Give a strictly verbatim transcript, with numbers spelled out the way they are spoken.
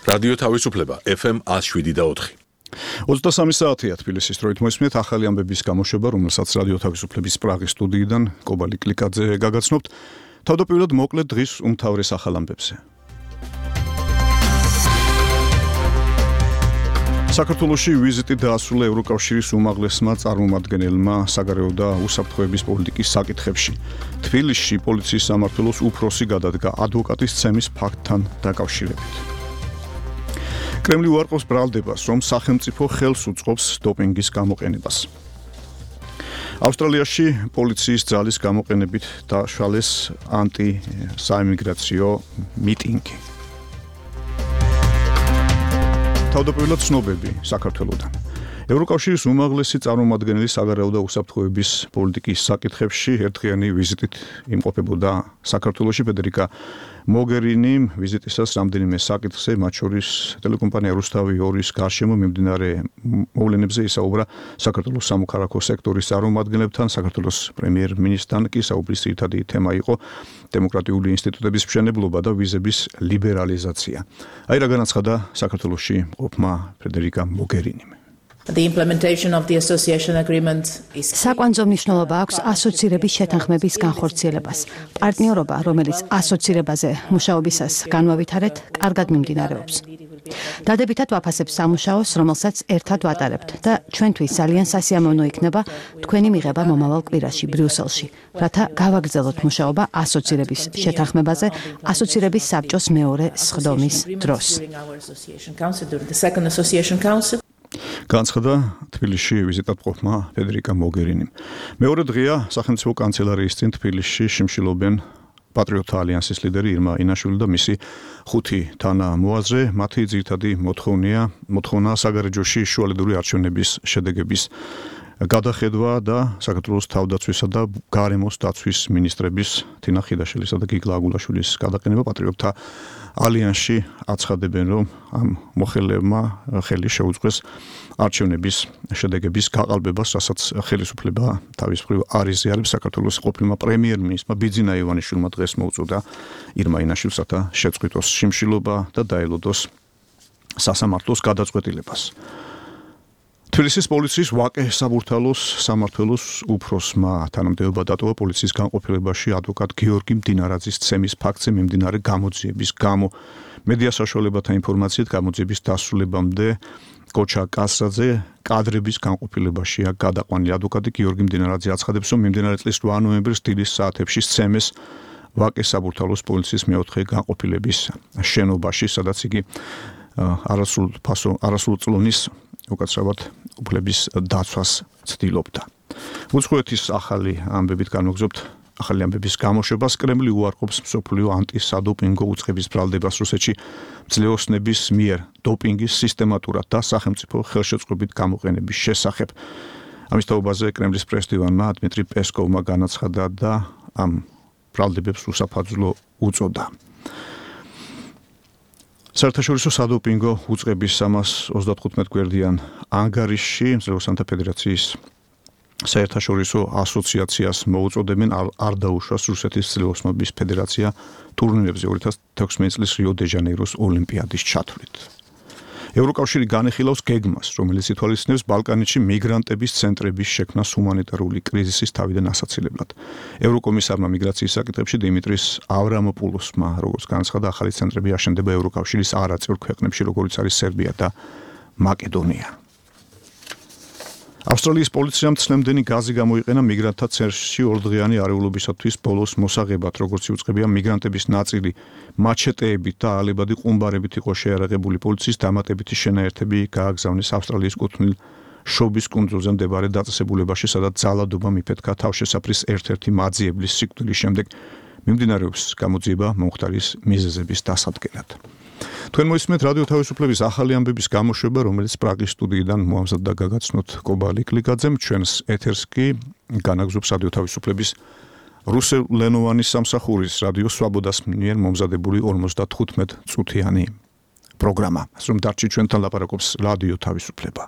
რადიო თავისუფლება ეფ ემ one oh seven და four. ოცდასამი საათია თბილისის დროით მოისმენთ ახალი ამბების გამოშვება, რომელსაც რადიო თავისუფლების პრაღის სტუდიიდან კობალი კლიკაძე გაგაცნობთ. თავდაპირველად მოკლედ დღის უმთავრეს ახალ ამბებზე. საქართველოში ვიზიტი დაასრულა ევროკავშირის უმაღლესმა წარმომადგენელმა საგარეო და უსაფრთხოების პოლიტიკის საკითხებში. თბილისში პოლიციის სამმართველოს უფროსი გადადგა ადვოკატის ცემის ფაქტთან დაკავშირებით. კრემლი უარყოფს ბრალდებას, რომ სახელმწიფო ხელს უწყობს დოპინგის გამოყენებას. ავსტრალიაში პოლიციის ძალის გამოყენებით დაშალეს ანტი-საიმიგრაციო მიტინგი. თავდაპირველად ცნობები საქართველოდან. ევროკავშირის უმაღლესი წარმომადგენელი საგარეო და უსაფრთხოების პოლიტიკის საკითხებში ერთდღიანი ვიზიტით იმყოფებოდა საქართველოში. ფედერიკა მოგერინიმ ვიზიტისას რამდენიმე საკითხზე, მათ შორის ტელეკომპანია რუსთავი ორის გარშემო მიმდინარე მოვლენებზე ისაუბრა საქართველოს სამოქალაქო სექტორის წარმომადგენლებთან. საქართველოს პრემიერ-მინისტრთან კი საუბრის ძირითადი თემა იყო დემოკრატიული ინსტიტუტების მშენებლობა და ვიზების ლიბერალიზაცია. აი რა განაცხადა საქართველოში მყოფმა ფედერიკა მოგერინიმ. The implementation of the association agreement is საკვანძო მნიშვნელობა აქვს ასოცირების შეთანხმების განხორციელებას. პარტნიორობა, რომელიც ასოცირებაზე მუშაობისას განვავითარეთ, კარგად მიმდინარეობს. დადებითად ვაფასებ სამუშაოს, რომელსაც ერთად ვატარებთ და ჩვენთვის ძალიან სასიამოვნო იქნება თქვენი მიღება მომავალ კვირაში ბრიუსელში, რათა გავაგრძელოთ მუშაობა ასოცირების შეთანხმებაზე, ასოცირების საბჭოს მეორე სხდომის დროს. განცხადა თბილისში ვიზიტად მყოფმა ფედერიკა მოგერინიმ. მეორე დღეა სახელმწიფო კანცელარიის წინ თბილისში შიმშილობენ პატრიოტთა ალიანსის ლიდერი ირმა ინაშვილი და მისი ხუთი თანამოაზრე. მათი ძირითადი მოთხოვნია მოთხოვნა საგარეჯოში შუალედური არჩევნების შედეგების გადახედვა და საქართველოს თავდაცვისა და გარემოს დაცვის მინისტრების თინა ხიდაშვილისა და გიგლა აგულაშვილის გადაყენება. პატრიოტთა ალიანსში აცხადებენ, რომ ამ მოხელებმა ხელი შეუწყეს არჩევნების შედეგების გაყალბებას, რასაც ხელისუფლება თავის მხრივ არ იზიარებს. საქართველოს ყოფილმა პრემიერ-მინისტრმა ბიძინა ივანიშვილმა დღეს მოუწოდა ირმა ინაშვილს, რათა შეწყვიტოს შიმშილობა და დაელოდოს სასამართლოს გადაწყვეტილებას. თბილისის პოლიციის ვაკე საბურთალოს სამმართველოს უფროსმა თანამდებობა დატოვა პოლიციის განყოფილებაში ადვოკატ გიორგი მდინარაძის ცემის ფაქტზე მიმდინარე გამოძიების გამო. მედია საშუალებათა ინფორმაციით გამოძიების დასრულებამდე კოჩა კასრაძე კადრების განყოფილებაშია გადაყვანილი. ადვოკატი გიორგი მდინარაძე აცხადებს, რომ მიმდინარე წლის რვა ნოემბრის დილის საათებში სცემეს ვაკე საბურთალოს პოლიციის მეოთხე განყოფილების შენობაში, სადაც იგი არასრულ ფასო არასრულ წლონის უკაცრავად უფლების დაცვას ცდილობდა. უცხოეთის ახალი ამბებით განვაგრძობთ ახალი ამბების გამოშვებას. კრემლი უარყოფს მსოფლიო ანტისადოპინგო უწყების ბრალდებას რუსეთში ძლეოსნების მიერ დოპინგის სისტემატურად და სახელმწიფო ხელშეწყობით გამოყენების შესახებ. ამის თაობაზე კრემლის პრესდივანმა დმიტრი პესკოვმა განაცხადა და ამ ბრალდებებს უსაფაძლო უწოდა. საერთაშორისო სადოპინგო უწყების სამას ოცდათხუთმეტ გვერდიან ანგარიშში მძლეოსანთა ფედერაციის საერთაშორისო ასოციაციას მოუწოდებენ არ დაუშვას რუსეთის ძლეოსნობის ფედერაცია ტურნირებზე ორი ათას თექვსმეტი წლის რიო დე ჟანეიროს ოლიმპიადის ჩათვლით. ევროკავშირი განეხილავს გეგმას, რომელიც ითვალისწინებს ბალკანეთში მიგრანტების ცენტრების შექმნას ჰუმანიტარული კრიზისის თავიდან ასაცილებლად. ევროკომისარმა მიგრაციის საკითხებში დიმიტრის ავრამოპულოსმა, როგორც განაცხადა, ახალი ცენტრები აშენდება ევროკავშირის არაწევრ ქვეყნებში, როგორიც არის სერბია და მაკედონია. ავსტრალიის პოლიციამ ცლემდენი გაზი გამოიყენა მიგრანტთა ცენტრში ორდღიანი არეულობისათვის ბოლოს მოსაღებად, როგორც იუწყებია მიგრანტების ნაწილი მაჩეტეებით და ალებადი ყუმბარებით იყო შეარაღებული. პოლიციის დამატებითი შენაერთები გააგზავნეს ავსტრალიის კუთვნილ შობის კუნძულზე მდებარე დაწესებულებაში, სადაც ძალადობა მიფეთქა თავშესაფრის ერთ-ერთი მაძიებლის სიკვდილის შემდეგ. მიმდინარეობს გამოძიება მომხდარის მიზეზების დასადგენად. თქვენ მოისმენთ რადიო თავისუფლების ახალი ამბების გამოშვება, რომელიც პრაღის სტუდიიდან მოამზადდა გაგაცნოთ კობალი კლიკაძემ. ჩვენს ეთერს კი განაგზობს რადიო თავისუფლების რუსულენოვანი სამსახურის რადიო სვაბოდას მიერ მომზადებული ორმოცდათხუთმეტ წუთიანი პროგრამა. ასე რომ დარჩით ჩვენთან ლაპარაკობს რადიო თავისუფლება.